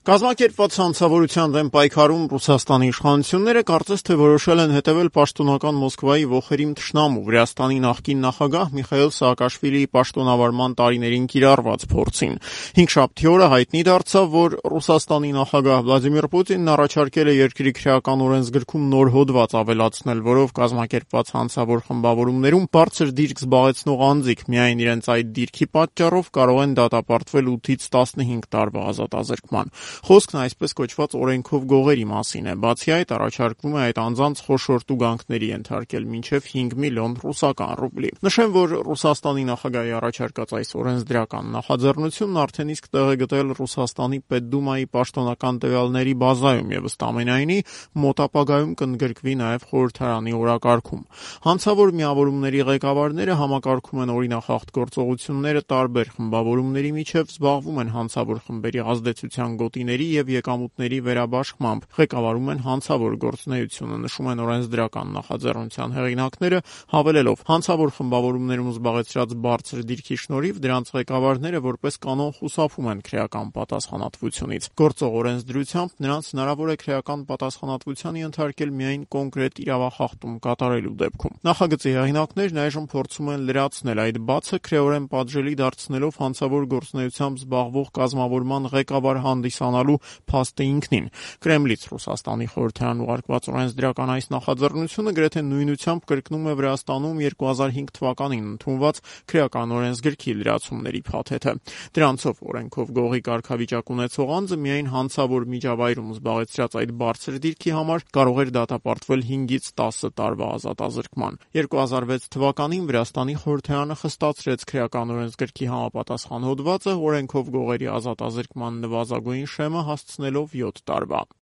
Կազմակերպված հանցավորության դեմ պայքարում Ռուսաստանի իշխանությունները կարծես թե որոշել են հետևել պաշտոնական Մոսկվայի ոխերիմ թշնամու Վրաստանի նախկին նախագահ Միխայիլ Սաակաշվիլիի պաշտոնավարման տարիներին կիրառված փորձին։ Հինգշաբթի օրը հայտնի դարձավ, որ Ռուսաստանի նախագահ Վլադիմիր Պուտինն առաջարկել է երկրի քրեական օրենսգրքում նոր հոդված ավելացնել, որով կազմակերպված հանցավոր խմբավորումներում բարձր դիրք զբաղեցնող անձիկ միայն իրենց այդ դիրքի պատճառով կարող են դատապարտվել 8-ից 15 տարվա ազատազրկման։ Խոսքն այսպես կոչված օրենքով գողերի մասին է, բացի այդ առաջարկվում է այդ անձանց խոշոր տուգանքների ենթարկել մինչև 5 միլիոն ռուսական ռուբլի։ Նշեմ, որ Ռուսաստանի նախագահի առաջարկած այս օրենսդրական նախաձեռնությունն արդեն իսկ տեղ է գտել Ռուսաստանի Պետդումայի պաշտոնական տվյալների բազայում եւ ըստ ամենայնի մոտ ապագայում կընդգրկվի նաեւ խորհրդարանի օրակարգում։ Հանցավոր միավորումների ղեկավարները համակարգում են օրինախախտ գործողությունները տարբեր խմբավորումների միջև, զբաղվում են հանցավոր խմբերի ազդեցության գոտիների եւ եկամուտների վերաբաշխմամբ, ղեկավարում են հանցավոր գործունեությունը, նշում են օրենսդրական նախաձեռնության հեղինակները, հավելելով. հանցավոր խմբավորումներում զբաղեցրած բարձր դիրքի շնորհիվ դրանց ղեկավարները որպես կանոն խուսափում են քրեական պատասխանատվությունից։ Գործող օրենսդրությամբ նրանց հնարավոր է քրեական պատասխանատվության ենթարկել միայն կոնկրետ իրավախախտում կատարելու դեպքում։ Նախագծի հեղինակներն այժմ փորձում են լրացնել այդ բացը, քրեորեն պատժելի դարձնելով հանցավոր գործունեությամբ զբաղվող կազմավորման ղեկավար հանդիսանալու փաստը ինքնին։ Կրեմլից Ռուսաստանի խորհրդարան ուղարկված օրենսդրական այս նախաձեռնությունը գրեթե նույնությամբ կրկնում է Վրաստանում 2005 թվականին ընդունված քրեական օրենսգրքի լրացումների փաթեթը։ Դրանցով օրենքով գողի կարգավիճակ ունեցող անձը միայն հանցավոր միջավայրում զբաղեցրած այդ բարձր դիրքի համար կարող էր դատապարտվել 5-ից 10 տարվա ազատազրկման։ 2006 թվականին Վրաստանի խորհրդարանը խստացրեց քրեական օրենսգրքի համապատասխան հոդվածը, օրենքով գողերի ազատազրկման նվազագույն շեմը հասցնելով 7 տարվա։